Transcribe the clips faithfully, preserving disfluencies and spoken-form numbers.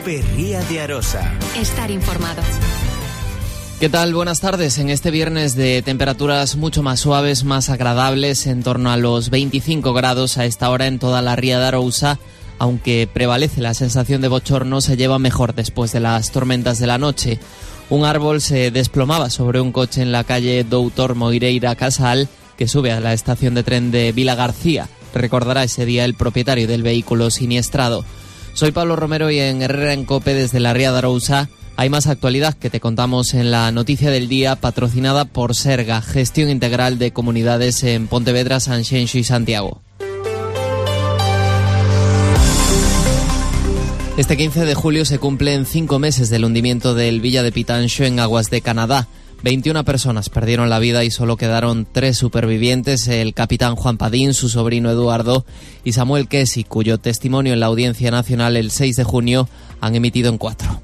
Cope Ría de Arosa. Estar informado. ¿Qué tal? Buenas tardes. En este viernes de temperaturas mucho más suaves, más agradables, en torno a los veinticinco grados a esta hora en toda la Ría de Arousa, aunque prevalece la sensación de bochorno, se lleva mejor después de las tormentas de la noche. Un árbol se desplomaba sobre un coche en la calle Doutor Moireira Casal, que sube a la estación de tren de Vila García. Recordará ese día el propietario del vehículo siniestrado. Soy Pablo Romero y en Herrera en Cope desde la Ría de Arousa hay más actualidad que te contamos en la noticia del día, patrocinada por Serga, Gestión Integral de Comunidades en Pontevedra, Sanxenxo y Santiago. Este quince de julio se cumplen cinco meses del hundimiento del Villa de Pitanxo en aguas de Canadá. veintiuna personas perdieron la vida y solo quedaron tres supervivientes, el capitán Juan Padín, su sobrino Eduardo y Samuel Kesi, cuyo testimonio en la Audiencia Nacional el seis de junio han emitido en cuatro.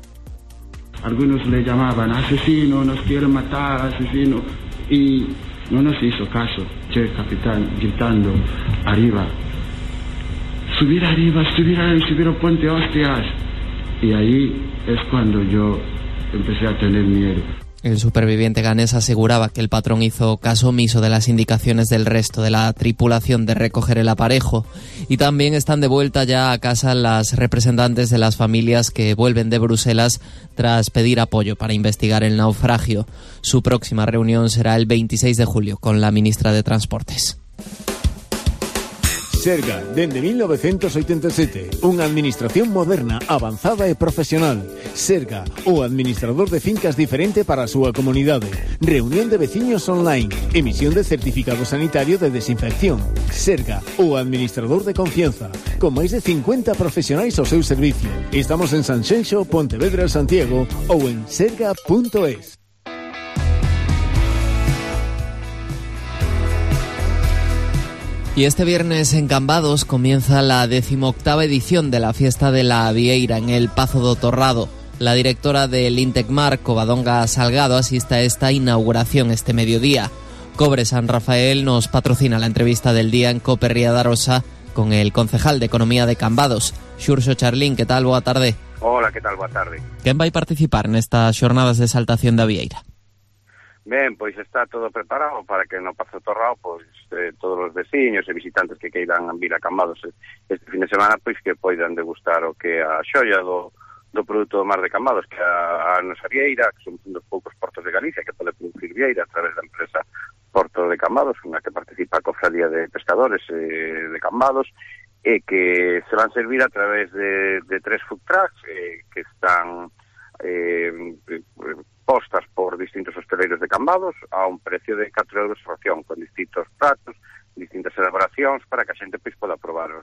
Algunos le llamaban asesino, nos quieren matar, asesino, y no nos hizo caso. Che, capitán, gritando, arriba, subir arriba, subir arriba, subir al puente, hostias. Y ahí es cuando yo empecé a tener miedo. El superviviente ganés aseguraba que el patrón hizo caso omiso de las indicaciones del resto de la tripulación de recoger el aparejo. Y también están de vuelta ya a casa las representantes de las familias que vuelven de Bruselas tras pedir apoyo para investigar el naufragio. Su próxima reunión será el veintiséis de julio con la ministra de Transportes. Serga, dende mil novecientos oitenta e sete, unha administración moderna, avanzada e profesional. Serga, o administrador de fincas diferente para a súa comunidade. Reunión de veciños online, emisión de certificado sanitario de desinfección. Serga, o administrador de confianza, con máis de cincuenta profesionais ao seu servicio. Estamos en Sanxenxo, Pontevedra, Santiago ou en serga punto es. Y este viernes en Cambados comienza la decimoctava edición de la Fiesta de la Vieira en el Pazo do Torrado. La directora del Intecmar, Covadonga Salgado, asiste a esta inauguración este mediodía. Cobre San Rafael nos patrocina la entrevista del día en Cope Ría de Arosa con el concejal de Economía de Cambados, Xurxo Charlín. Que tal? Boa tarde. Hola, que tal? Boa tarde. Quen vai participar nestas xornadas de exaltación da Vieira? Ben, pois está todo preparado para que no Pazo Torrado, pois eh, todos os veciños e visitantes que queiran vir a Cambados este fin de semana, pois que poidan degustar o que a xoia do, do produto do mar de Cambados, que a, a nosa vieira, que somos un dos poucos portos de Galicia que pode producir vieira a través da empresa Porto de Cambados, unha que participa a Cofradía de Pescadores eh, de Cambados, e que se van servir a través de, de tres food trucks eh, que están eh, postas por distintos hosteleiros de Cambados a un precio de catro euros a ración, con distintos pratos, distintas elaboracións, para que a xente pois poda probar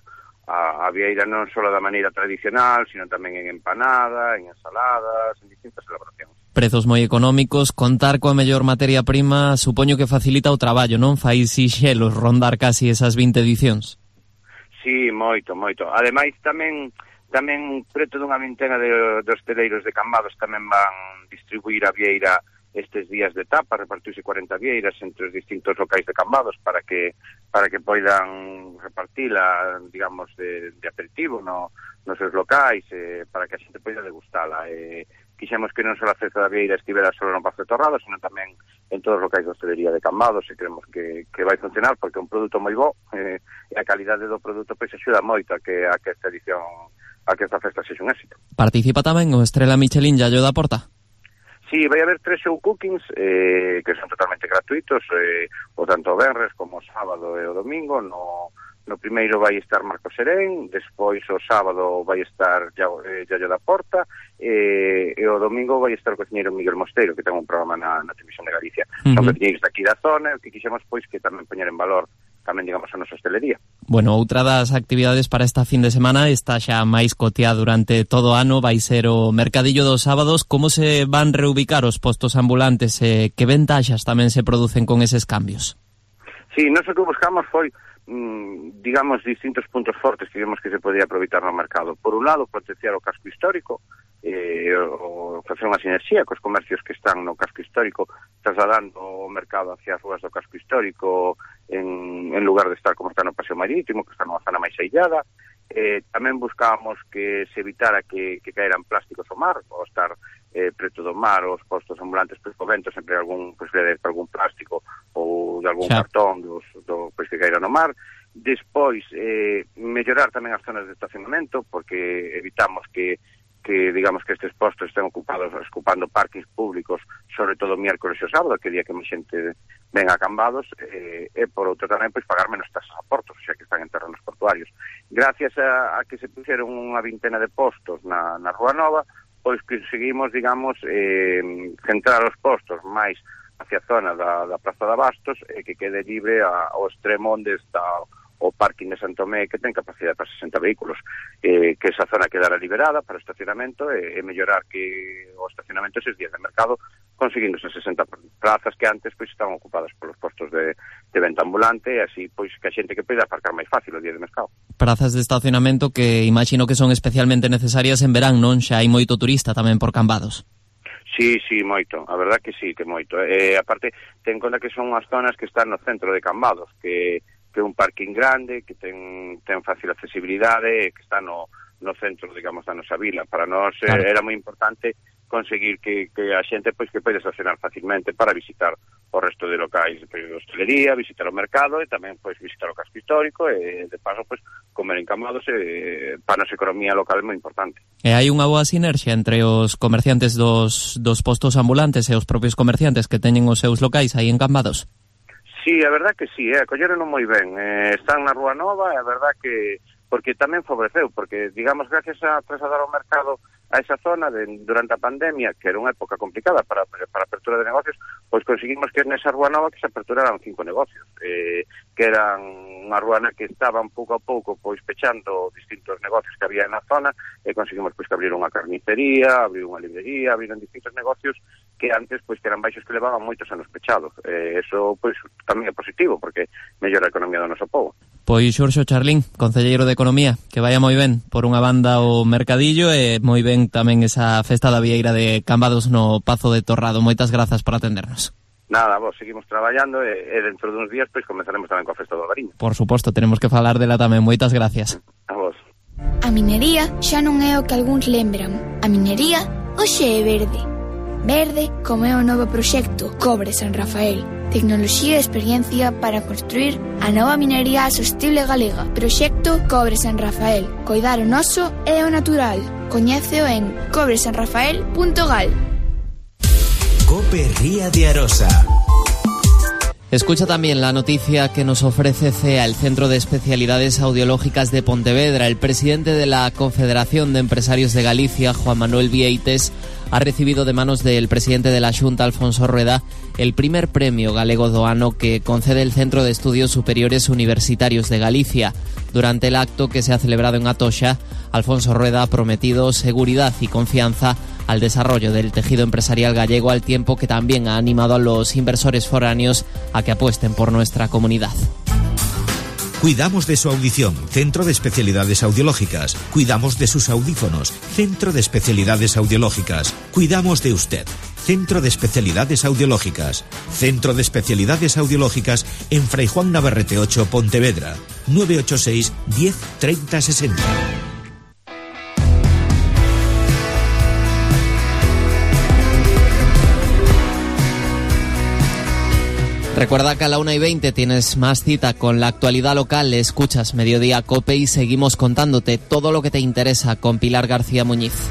a, a vieira non só da maneira tradicional, sino tamén en empanada, en ensaladas, en distintas elaboracións. Prezos moi económicos, contar coa mellor materia prima, supoño que facilita o traballo, non? Fai sixelos rondar casi esas vinte edicións. Sí, moito, moito. Ademais, tamén tamén preto dunha vintena de, de hosteleiros de Cambados tamén van distribuir a vieira estes días de tapa, repartirse cuarenta vieiras entre os distintos locais de Cambados para que para que poidan repartila, digamos, de, de aperitivo no, nos seus locais, eh, para que a xente poida degustala. Eh, quixemos que non só a festa da vieira estivera só no Pazo Torrado, sino tamén en todos os locais de hostelería de Cambados, e creemos que, que vai funcionar porque é un produto moi bo, eh, e a calidade do produto pois axuda moito a que, a que esta edición a que esta festa sexa un éxito. Participa tamén o Estrela Michelin Yayo da Porta? Sí, vai haber tres show cookings eh, que son totalmente gratuitos, eh, o tanto o venres como o sábado e o domingo. No, no primeiro vai estar Marco Serén, despois o sábado vai estar Yayo, eh, Yayo da Porta, eh, e o domingo vai estar o cociñeiro Miguel Mosteiro, que ten un programa na, na Televisión de Galicia. Uh-huh. Son cociñeiros daqui da zona, que quixemos pois que tamén poñer en valor tamén, digamos, a nosa hostelería. Bueno, outra das actividades para esta fin de semana está xa máis coteada durante todo o ano, vai ser o Mercadillo dos Sábados. Como se van reubicar os postos ambulantes e que ventaxas tamén se producen con eses cambios? Sí, nós o que buscamos foi, mmm, digamos, distintos puntos fortes que vimos que se podía aproveitar no mercado. Por un lado, potenciar o casco histórico, eh, o facer unha sinerxía cos comercios que están no casco histórico, trasladando o mercado hacia as ruas do casco histórico en, en lugar de estar como está no Paseo Marítimo, que está nunha zona máis aillada, Eh, tamén buscábamos que se evitara que, que caeran plásticos ao mar, ou estar eh, preto do mar, os postos ambulantes, pois, co vento, sempre algún, pois, de algún plástico ou de algún xa. cartón dos, do, pois, que caera no mar. Despois, eh, mellorar tamén as zonas de estacionamento, porque evitamos que que digamos que estes postos estén ocupados ocupando parkings públicos, sobre todo miércoles e sábado, que día que máis xente ven a Cambados, eh, e por outro tamén pois pagar menos tasas a portos, xa que están en terrenos portuarios. Gracias a, a que se puxeron unha vintena de postos na, na Rúa Nova, pois conseguimos, digamos, eh, centrar os postos máis hacia a zona da, da Praza de Abastos e que quede libre a, ao extremo onde está o parking de Santomé, que ten capacidade para sesenta vehículos, eh, que esa zona quedara liberada para estacionamento e, e mellorar que o estacionamento eses días de mercado, conseguindo esas sesenta plazas que antes pois estaban ocupadas polos postos de, de venta ambulante, e así pois que a xente que poida aparcar máis fácil o día de mercado. Prazas de estacionamento que imagino que son especialmente necesarias en verán, non? Xa hai moito turista tamén por Cambados. Sí, sí, moito, a verdad que sí, que moito. Eh, aparte, ten conta que son as zonas que están no centro de Cambados, que que é un parking grande, que ten, ten fácil accesibilidade, que está no, no centro, digamos, da nosa vila. Para nós claro. Era moi importante conseguir que, que a xente pois que pode estacionar facilmente para visitar o resto de locais de hostelería, visitar o mercado e tamén pois visitar o casco histórico e de paso pois comer en Cambados e para a nosa economía local é moi importante. E hai unha boa sinerxia entre os comerciantes dos, dos postos ambulantes e os propios comerciantes que teñen os seus locais aí en Cambados? Sí, a verdad que sí, eh, colleron moi ben. Eh, están na Rúa Nova, a verdad que porque tamén favoreceu, porque, digamos, gracias a trasladar o mercado a esa zona de, durante a pandemia, que era unha época complicada para, para a apertura de negocios, pois conseguimos que nesa Rúa Nova que se aperturaran cinco negocios, eh, que eran unha rúa na que estaban pouco a pouco pois pechando distintos negocios que había na zona, e conseguimos pois que abrir unha carnicería, abrir unha librería, abriron distintos negocios que antes pois que eran baixos que levaban moitos anos pechados. Eh, eso pois tamén é positivo, porque mellora a economía do noso povo. Pois Xurxo Charlín, concelleiro de Economía, que vaya moi ben por unha banda o mercadillo e moi ben tamén esa festa da vieira de Cambados no Pazo de Torrado. Moitas grazas por atendernos. Nada, vos seguimos traballando e, e dentro duns días pois comenzaremos tamén coa festa do Albariño. Por suposto, tenemos que falar dela tamén. Moitas gracias. A vos. A minería xa non é o que algúns lembran. A minería hoxe é verde. Verde como é o novo proxecto Cobre San Rafael. Tecnoloxía e experiencia para construir a nova minería sostible galega. Proxecto Cobre San Rafael. Coidar o noso e o natural. Coñéceo en cobre san rafael punto gal. Cope Ría de Arosa. Escucha también la noticia que nos ofrece C E A, el Centro de Especialidades Audiológicas de Pontevedra. El presidente de la Confederación de Empresarios de Galicia, Juan Manuel Vieites, ha recibido de manos del presidente de la Xunta, Alfonso Rueda, el primer premio galego do ano que concede el Centro de Estudios Superiores Universitarios de Galicia. Durante el acto que se ha celebrado en Atoxa, Alfonso Rueda ha prometido seguridad y confianza al desarrollo del tejido empresarial gallego, al tiempo que también ha animado a los inversores foráneos a que apuesten por nuestra comunidad. Cuidamos de su audición, Centro de Especialidades Audiológicas. Cuidamos de sus audífonos, Centro de Especialidades Audiológicas. Cuidamos de usted, Centro de Especialidades Audiológicas. Centro de Especialidades Audiológicas en Fray Juan Navarrete ocho, Pontevedra. nueve ocho seis, diez, treinta, sesenta. Recuerda que a la una y veinte tienes más cita con la actualidad local. Escuchas Mediodía Cope y seguimos contándote todo lo que te interesa con Pilar García Muñiz.